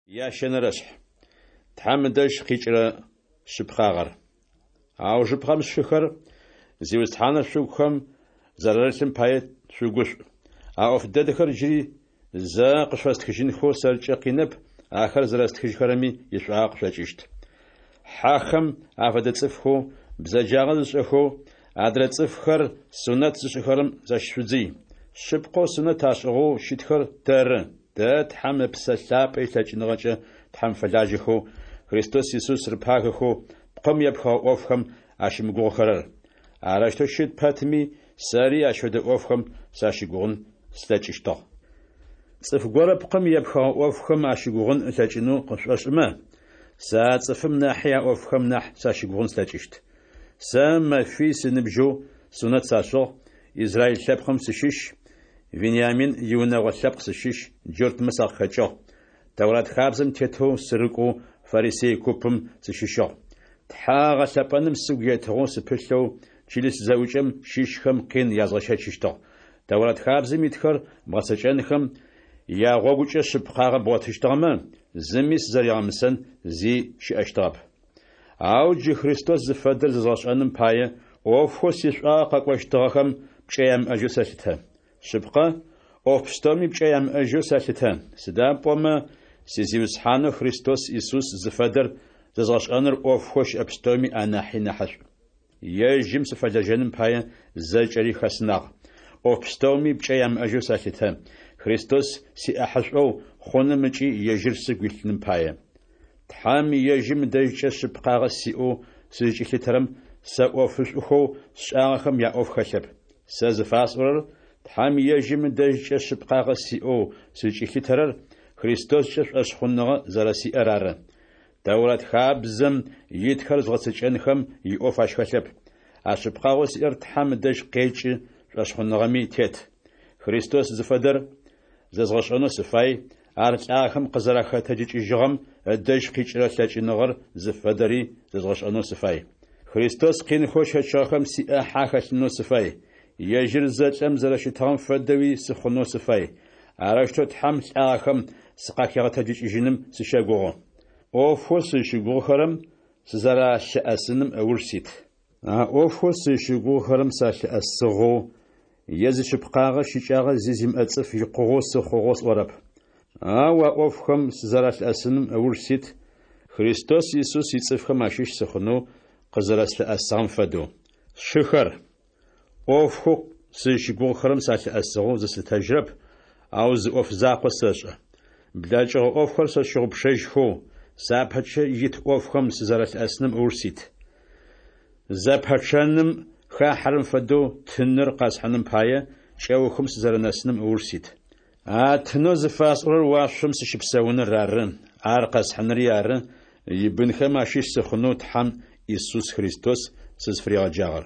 Ящэнэрэшъхь. Тхьэм ыдэжь къикӏырэ шъыпкъагъэр. Аужыпкъэм, сшыхэр, Зиусхьаныр шъугухэм зэрарылъым пае шъугушӏу. А ӏоф дэдэхэр джыри зэ къышъуфэстхыжьынхэу сэркӏэ къинэп, ахэр зэрэстхыжьхэрэми ишӏуагъэ къышъокӏыщт. Хьэхэм афэдэ цӏыфхэу, бзэджагъэ зышӏэхэу, адрэ цӏыфхэр сунэт зышӏыхэрэм защышъудзый. Шъыпкъэу сунэт ашӏыгъэу щытхэр тэры, тэ Тхьэм Ыпсэ Лъапӏэ илъэкӏыныгъэкӏэ Тхьэм фэлажьэхэу, Христос Исус рыпагэхэу, пкъым епхыгъэ ӏофхэм ащымыгугъыхэрэр. Арэущтэу щыт пэтми, сэри ащ фэдэ ӏофхэм сащыгугъын слъэкӏыщтыгъ. Цӏыф горэ пкъым епхыгъэ ӏофхэм ащыгугъын ылъэкӏынэу къышӏошӏымэ, сэ а цӏыфым нахьи а ӏофхэм нахь сащыгугъын слъэкӏыщт. Сэ мэфий сыныбжьэу сунэт сашӏыгъ, израиль лъэпкъым сыщыщ, Вениамин иунэгъо лъэпкъ сыщыщ, джуртмэ сакъыхэкӏыгъ. Тэурат хабзэм тетэу сырыкӏоу фарисей купым сыщыщыгъ. Тхьэ гъэлъэпӏэным сыгу етыгъэу сыпылъэу чылыс зэӏукӏэм щыщхэм къин язгъэщэчыщтыгъ. Тэурат хабзэм итхэр бгъэцэкӏэнхэм ягъогукӏэ шъыпкъагъэ бгъотыщтыгъэмэ, зыми сызэригъэмысэн зи щыӏэщтыгъэп. Ау джы Христос зыфэдэр зэзгъэшӏэным пае, ӏофхэу сишӏуагъэ къэкӏощтыгъэхэм пкӏэ ямыӏэжьэу сэлъытэ. Шъыпкъэ, ӏоф пстэуми пкӏэ ямыӏэжьэу сэлъытэ, сыда пӏомэ си Зиусхьанэу Христос Исус зыфэдэр зэзгъэшӏэныр ӏофхэу щыӏэ пстэуми анахьи нахьышӏу. Ежьым сыфэлэжьэным пае зэкӏэри хэсынагъ. ӏоф пстэуми пкӏэ ямыӏэжьэу сэлъытэ, Христос сиӏахьышӏоу хъуным ыкӏи ежьыр сыгу илъыным пае. Тхьэм ежьым ыдэжькӏэ шъыпкъагъэ сиӏэу сызкӏилъытэрэм сэ ӏофышӏухэу сшӏагъэхэм яӏоф хэлъэп. Сэ зыфасӏорэр Тхьэм ежьым ыдэжькӏэ шъыпкъагъэ сиӏэу сызкӏилъытэрэр Христоскӏэ шӏошъхъуныгъэ зэрэсиӏэр ары. Тэурат хабзэм итхэр згъэцэкӏэнхэм иӏоф ащ хэлъэп. А шъыпкъагъэу сиӏэр Тхьэм ыдэжь къекӏы шӏошъхъуныгъэми тет. Христос зыфэдэр зэзгъэшӏэнэу сыфай, ар лӏагъэхэм къызэрахэтэджыкӏыжьыгъэм ыдэжь къикӏырэ лъэкӏыныгъэр зыфэдэри зэзгъэшӏэнэу сыфай. Христос къинхэу ыщэчыгъэхэм сиӏахьэ ахэлъынэу сыфай. Ежьыр зэлӏэм зэрэщытыгъэм фэдэуи сыхъунэу сыфай. Арэущтэу Тхьэм лӏагъэхэм сыкъахигъэтэджыкӏыжьыным сыщэгугъы. ӏофхэу сызщыгугъыхэрэм сызэралъыӏэсыным ыуж сит. А ӏофхэу сызщыгугъыхэрэм салъыӏэсыгъэу е зишъыпкъагъэ щыкӏагъэ зи зимыӏэ цӏыф икъугъэу сыхъугъэу сӏорэп. Ау а ӏофхэм сызэралъыӏэсыным ыуж сит, Христос Исус ицӏыфхэм ащыщ сыхъунэу къызэрэслъыӏэсыгъэм фэдэу. Сшыхэр, ӏофхэу сызщыгугъыхэрэм салъыӏэсыгъэу зыслъытэжьырэп, ау зы ӏоф закъо сэшӏэ. Блэкӏыгъэ ӏофхэр сэ сщыгъупшэжьхэу, сапэкӏэ ит ӏофхэм сызэрэлъыӏэсыным ыуж сит. Зэпэчъэным хахьэрэм фэдэу тыныр къэсхьыным пае, кӏэухым сызэрэнэсыным ыуж сит. А тынэу зыфасӏорэр уашъом сыщыпсэуныр ары, ар къэсхьыныри ары, ибынхэм ащыщ сыхъунэу Тхьэм Исус Христос сызфыригъэджагъэр.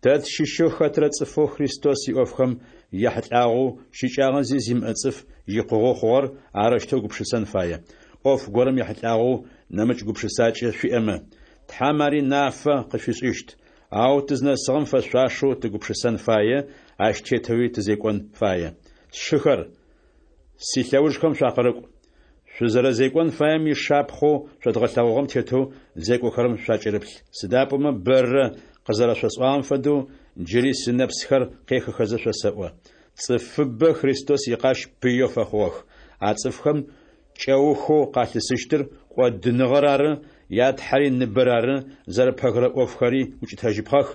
Тэ тщыщэу хэтрэ цӏыфэу Христос иӏофхэм яхьылӏагъэу щыкӏагъэ зи зимыӏэ цӏыф икъугъэу хъугъэр арэущтэу гупшысэн фае. ӏоф горэм ехьылӏагъэу нэмыкӏ гупшысакӏэ шъуиӏэмэ, Тхьэм ари нафэ къышъуфишӏыщт. Ау тызнэсыгъэм фэшъуашэу тыгупшысэн фае, ащ тетэуи тызекӏон фае. Сшыхэр, силъэужхэм шъуакъырыкӏу. Шъузэрэзекӏон фаем ишапхъэу шъодгъэлъэгъугъэм тетэу зекӏохэрэм шъуакӏырыплъ. Сыда пӏомэ бэрэ къызэрэшъосӏуагъэм фэдэу, джыри сынэпсхэр къехыхэзэ шъосэӏо. Цӏыфыбэ Христос икъащ пыеу фэхъугъэх. А цӏыфхэм кӏэухэу къалъысыщтыр кӏодыныгъэр ары, я Тхьэри ныбэр ары, зэрыпэгырэ ӏофхэри укӏытэжьыпхъэх,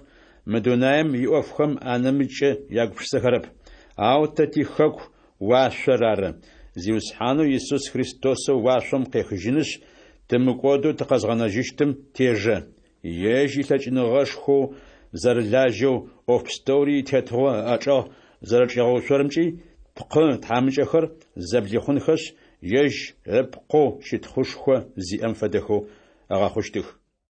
мы дунаем иӏофхэм анэмыкӏкӏэ ягупшысэхэрэп. Ау тэ тихэку уашъор ары, Зиусхьанэу Исус Христосэу уашъом къехыжьынышъ, тымыкӏодэу тыкъэзгъэнэжьыщтым тежэ. Ежь илъэкӏыныгъэшхоу зэрылажьэу, ӏоф пстэури итетыгъо ыӏэчӏэгъ зэрэчӏигъэуцорэмкӏи тпкъы тхьамыкӏэхэр зэблихъунхэшъ, ежь ыпкъэу щытхъушхо зиӏэм фэдэхэу ыгъэхъущтых.